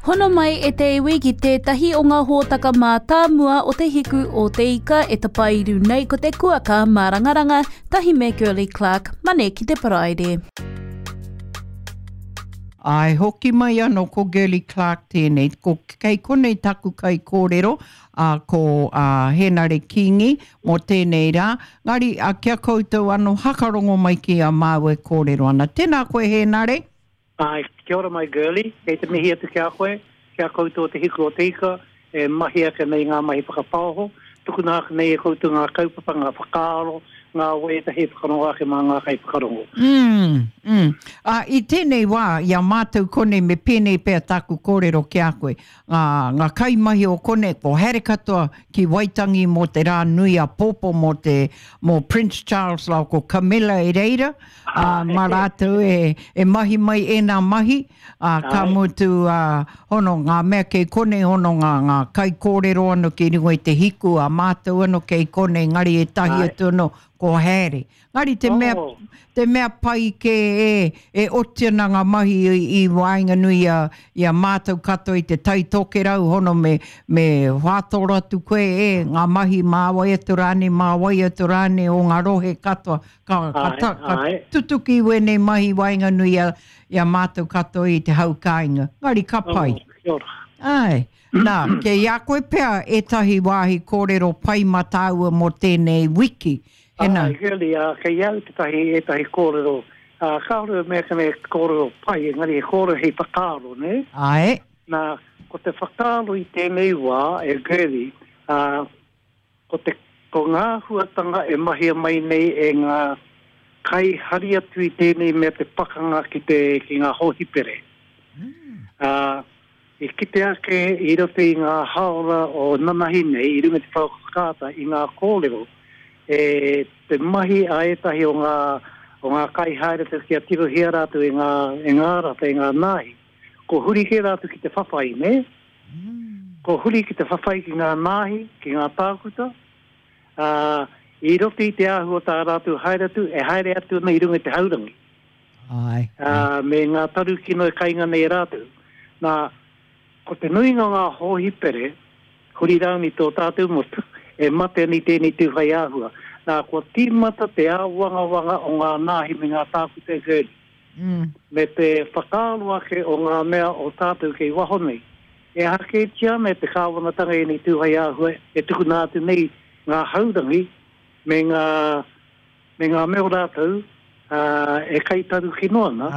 Hono mai e te iwi ki tētahi o ngā hōtaka mātāmua o Te Hiku o Te Ika e tapairu nei ko te kuaka mārangaranga tahi me Girlie Clarke, Mane ki te Paraire. Āe, hoki mai anō ko Girlie Clarke tēnei. Ko, kei konei taku kaikōrero, ā, ko ā, Hēnare Kīngi mō tēnei rā. Ngari, ā, ki a koutou anō, hakarongo mai ki a māua e kōrero ana. Tēnā koe Hēnare. Āe, kia ora mai Girlie, kei te mihi atu ki a koe, ki a koutou o Te Hiku o Te Ika, e mahi ake nei ngā mahi whakapaoho, tukuna ake nei e koutou ngā kaupapa, ngā whakaaro, ngā waiata hei whakarongo ake mā ngā kaiwhakarongo. Mm, mm. Ā, i tēnei wā, i a mātou konei me pēnei pea tāku kōrero ki a koe, ngā, ngā kaimahi o konei, ko haere katoa ki Waitangi mō te rā nui āpōpō mō te, mō Prince Charles rāua ko Camilla i reira, ā, mā rātou e, e mahi mai ēnā mahi, ā, ka mutu, ā, hono, ngā mea kei konei, hono ngā, ngā kaikōrero anō ki runga i te hiku, ā mātou anō kei konei, engari ētahi atu anō, ko haere. Engari te mea, te mea pai kē e, e oti ana ngā mahi i, i waenganui i a, i a mātou katoa i te Tai Tokerau, hono me, me whātoro atu koe e, ngā mahi mā wai atu rānei, mā wai atu rānei o ngā rohe katoa, Ka, ka, ta, ka tutuki wēnei mahi waenganui i a, i a mātou katoa i te hau kāinga. Ngari ka pai. Oh, kia ora. Āe. Nā, kei a koe pea ētahi wāhi kōrero pai mā tāua mō tēnei wiki. Hena. Āe, really, ā, kei au tētahi, ētahi kōrero, ā, kāore e mea kene kōrero pai, engari he kōrero hei whakaaro, nē? Āe. Nā, ko te whakaaro i tēnei wā, e Girlie, ā, Ko te, ko ngā āhuatanga e mahia mai nei e ngā kai hari atu i tēnei mea te pakanga ki te, ki ngā hōhipere. Ā, i kite ake i roto i ngā hāora o nanahi nei, i runga i te pouaka whakaata, i ngā kōrero, e te mahi a ētahi o ngā, o ngā kaihaere atu kia tirohia rātou e ngā, e ngā rata, e ngā nāhi. Ko huri kē rātou ki te whawhai, nē? Ko huri ki te whawhai ki ngā nāhi, ki ngā tākuta, ā, i roto i te āhua o tā rātou haere atu, e haere atu ana i runga i te haurangi. Āe. Ā, me ngā taru kino e kainga nei e rātou. Nā, ko te nuinga o ngā hōhipere, huri rānei tō tātou motu, e mate ana i tēnei tū whai āhua. Nā, kua tīmata te āwangawanga o ngā nāhi me ngā tākuta e Gurney. Me te whakaaro ake o ngā mea o tātou kei waho nei. E aha kētia ana e te kāwanatanga ēnei tū hai āhua e tukuna atu nei ngā haurangi me ngā, me ngā mea o rātou, ā, e kai taru kino ana,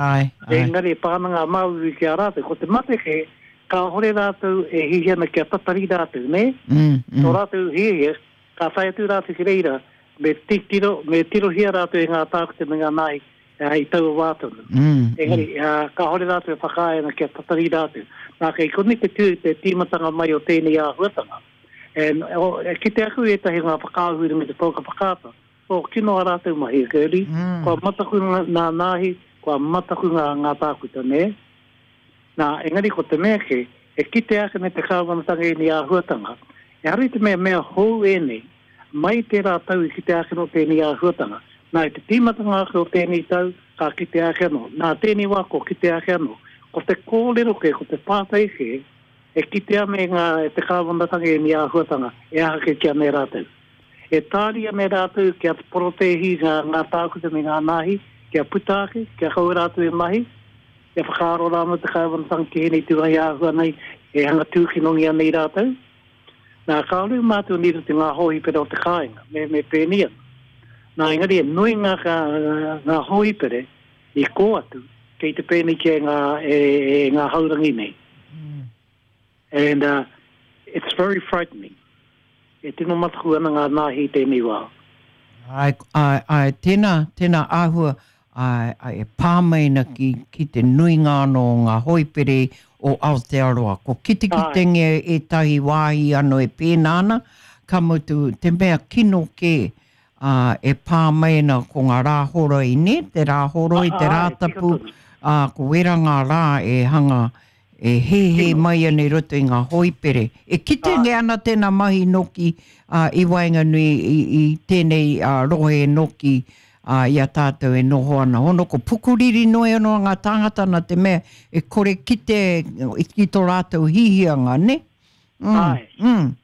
engari e pā ana ngā māuiui ki a rātou. Ko te mate kē, kāore rātou e hiahia ana kia tatari rātou, nē? Tō rātou hiahia, ka tae atu rātou ki reira, me titiro, me tirohia rātou e ngā tākuta me ngā nāhi, i taua wā tonu. Engari, kāore rātou e whakaae ana kia tatari rātou. Nā, kei konei te tū, te tīmatanga mai o tēnei āhuatanga. And, oh, e kite aku i ētahi o ngā whakaahua i runga i te pouaka whakaata, oh, kino ā rātou mahi, Girlie. Kua mataku ngā nāhi, kua mataku ngā, ngā tākuta, nē? Nā, engari ko te mea kē, e kite ake nei te kāwanatanga ēnei āhuatanga, ehara i te mea mea hou ēnei, mai i tērā tau i kite ake anō tēnei āhuatanga. Nā, i te tīmatanga ake o tēnei tau, ka kite ake anō. Nā, tēnei wā kua kite ake anō. Ko te kōrero kē, ko te pātai kē, e kitea ana e ngā, e te kāwanatanga ēnei āhuatanga, e aha kētia ana e rātou. E tāria ana e rātou kia porotēhi ngā, ngā tākuta me ngā nāhi, kia puta ake, kia kaua rātou e mahi, kia whakaaro rā anō te kāwanatanga ki ēnei tūrai āhua nei, e hanga tūkinongia nei rātou. Nā, kāore mātou nei roto i ngā hōhipere o te kāinga, me, me pēnei ana. Nā, engari e nui ngā, ngā hōhipere i kō atu, kei te pēneitia e ngā, e, e ngā haurangi nei. Mm. And uh, it's very frightening. E tino mataku ana ngā nāhi i tēnei wā. Ai, ai, ai, tēnā, tēnā āhua, Āe, āe, e pā mai ana ki, ki te nuinga anō o ngā hoipere o Aotearoa. Ko kitekitengia ētahi wāhi anō e pēnā ana, ka mutu, te mea kino kē, ā, e pā mai ana ko ngā rā horoi, nē, te rā horoi, te Rātapu, ā, ko wērā ngā rā e hanga, e hēhē mai ana i roto i ngā hoipere. E kitengia ana tēnā mahi noki, ā, i waenganui i, i tēnei, ā, rohe noki, ā, i a tātou e noho ana. Hono ko pukuriri noa anō ngā tāngata nā te mea e kore kite ki tō rātou hihianga, nē? Mm, Āe. Mm.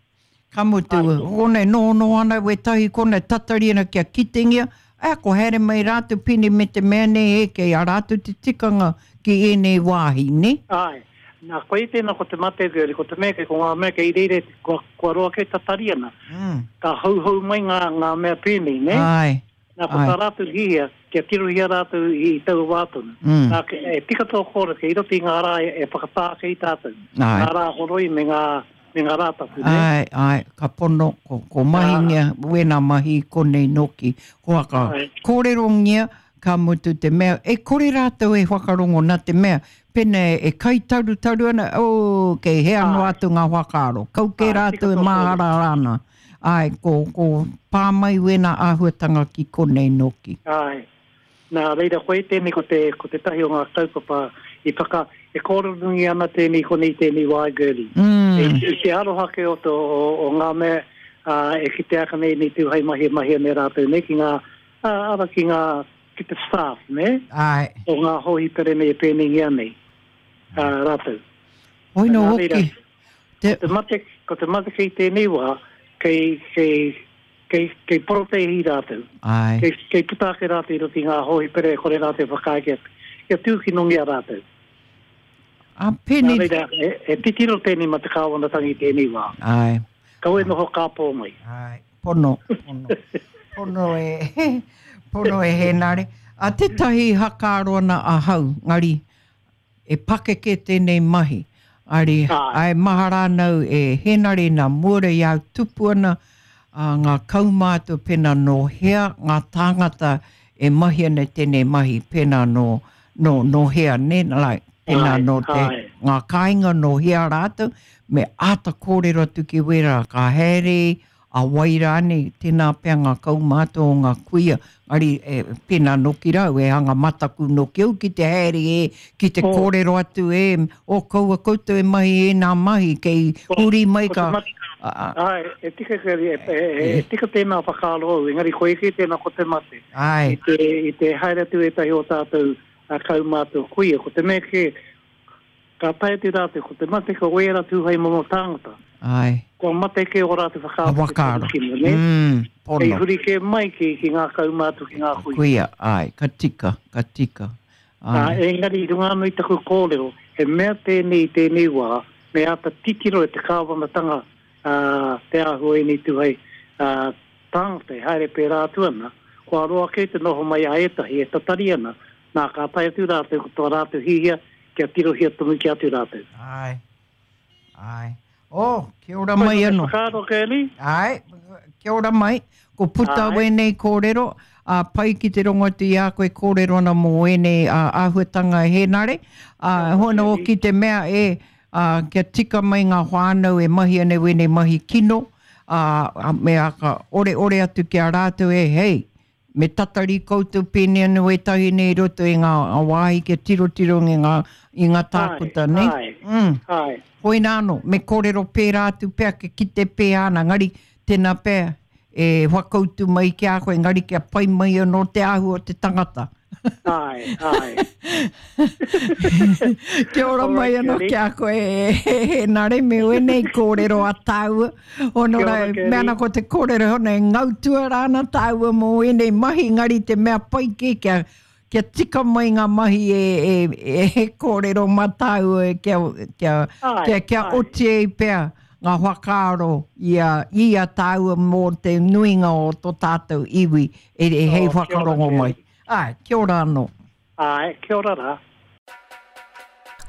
Ka mutu, Āe. konei nohonoho ana wētahi konei tatari ana kia kitengia, ā, ko haere mai rātou pēnei me te mea nei e, kei a rātou te tikanga ki ēnei wāhi, nē? Āe. Nā, koia tēnā ko te mate, ko te mea kei ko ngā mea kei reira, kua, kua roa kē tatari ana. Mm. Ka houhou mai ngā, ngā mea pēnei, nē? Āe. Nā, ko tā rātou hihia, kia tirohia rātou i taua wā tonu. Mm. Nā, e tika tō kōrero, kei roto i ngā rā e, e whakatā ake i tātou. Āe. Ngā rā horoi me ngā, me ngā rā tapu, nē? Āe, āe, ka pono, ko, ko mahingia wēnā mahi i konei nōki. Ko aka kōrerongia, ka mutu te mea, e kore rātou e whakarongo nā te mea, pena e kai tarutaru ana, oh, kei hea noa atu ngā whakaaro, kau kē rātou e māharahara ana. Āe, ko, ko pā mai wēnā āhuatanga ki konei nōki. Āe. Nā reira, koia tēnei ko te, ko tētahi o ngā kaupapa i whaka, e kōrerongia ana tēnei konei tēnei wā, Girlie. Mm. I, i te aroha ke o, to, o, o ngā mea, ā, e kitea ake nei nei tū hei mahi e mahi ana e rātou nei ki ngā, ā, ara ki ngā, ki te staff, nē? Āe. O ngā hōhipere nei e pēneingia nei, ā, rātou. Hoi nō Nā reira, hoki, te... Ko te mate, ko te mate kei tēnei wā, kei, kei, kei, kei porotēhi rātou. Āe. Kei, kei puta ake rātou i roto i ngā hōhipere e kore rātou e whakaae kia, kia tūkinongia rātou. Ā, pēnei... Nā reira, e, e titiro tēnei mā te kāwanatanga i tēnei wā. Āe. Kaua e noho kāpō mai. Āe, pono, pono. Pono e, pono e Hēnare. A tētahi hakaaro ana ahau, ngari, e pakeke tēnei mahi. Ari, Āe. āe, mahara ana au e Hēnare nā mua i a au tupu ana, ā, ngā kaumātua pēnā nō hea ngā tāngata e mahi ana i tēnei mahi, pēnā nō, nō, nō hea, nē, like, pēnā Āe, nō te, āe. ngā kāinga nō hea rātou, me āta kōrero atu ki wērā ka haere, a wai rānei, tēnā pea ngā kaumātua o ngā kuia, engari e, pēnā nōki rau, e hanga mataku nōki au ki te haere e, ki te Oh. kōrero atu e, o kaua koutou e mahi ēnā mahi, kei huri mai Ko te ka... mate, A, a, āe, e tika, e, e, e, e tika tēnā whakaaro au, engari koia kē tēnā ko te mate. āe, I te, i te haere atu ētahi o tātou a kaumātua kuia, ko te mea kē, Ka tae atu rātou, ko te mate ko wēra tū hei momo tāngata. Āe. Kua mate kē ō rātou whakaaro ki te Whakaaro. tarukino, nē? Mm, pono. Kei huri kē mai ki, ki ngā kaumātua, ki ngā kuia. Kuia, āe, ka tika, ka tika. Ā, Āe. engari i runga anō i taku kōrero, he mea tēnei i tēnei wā, me āta titiro e te kāwanatanga, ā, te āhua o ēnei tū hei, ā, tāngata e haere pērā atu ana, kua roa kē te noho mai a ētahi e tatari ana, nā, ka tae atu rātou ko tō rātou hihia kia tirohia tonutia atu rātou. Āe. Āe. Oh, kia ora mai anō. Whakaaro, Curly? Āe, kia ora mai. Ko puta Āe. wēnei kōrero, ā, pai ki te rongo atu i a koe kōrero ana mō ēnei ā, āhuatanga e Hēnare. Ā, hono hoki te mea e, ā, kia tika mai ngā whānau e mahi ana i wēnei mahi kino, ā, me aka oreore atu ki a rātou e, hei, Me tatari koutou pēnei anō ētahi nei i roto i ngā wāhi kia tirotiro i ngā, i ngā tākuta, Āe, nei? āe, Mm. āe. Hoina anō, me kōrero pērā atu pea kia kite pēhea ana, engari tēnā pea e whakautu mai ki a koe, engari kia pai mai anō te āhua o te tangata. Āe, āe. Kia ora mai anō ki a koe, e Hēnare, me wēnei kōrero a tāua. Hono Kia rā, ora, mea Kerry. ana ko te kōrero hono e ngau tuarā ana tāua mō ēnei mahi, engari te mea pai kē kia, kia tika mai ngā mahi e, e, e, e kōrero mā tāua kia, kia, Āe, kia, kia āe. oti ai pea ngā whakaaro i a, i a tāua mō te nuinga o tō tātou iwi e, e hei Oh, kia ora, whakarongo mai. Kerry. Āe, kia ora anō. Āe, kia ora rā.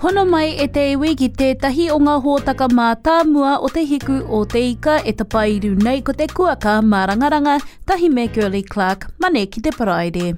Hono mai e te iwi ki tētahi o ngā hōtaka mātāmua o Te Hiku o Te Ika e tapairu nei ko te kuaka mārangaranga tahi me Girlie Clark, Mane ki te Paraire.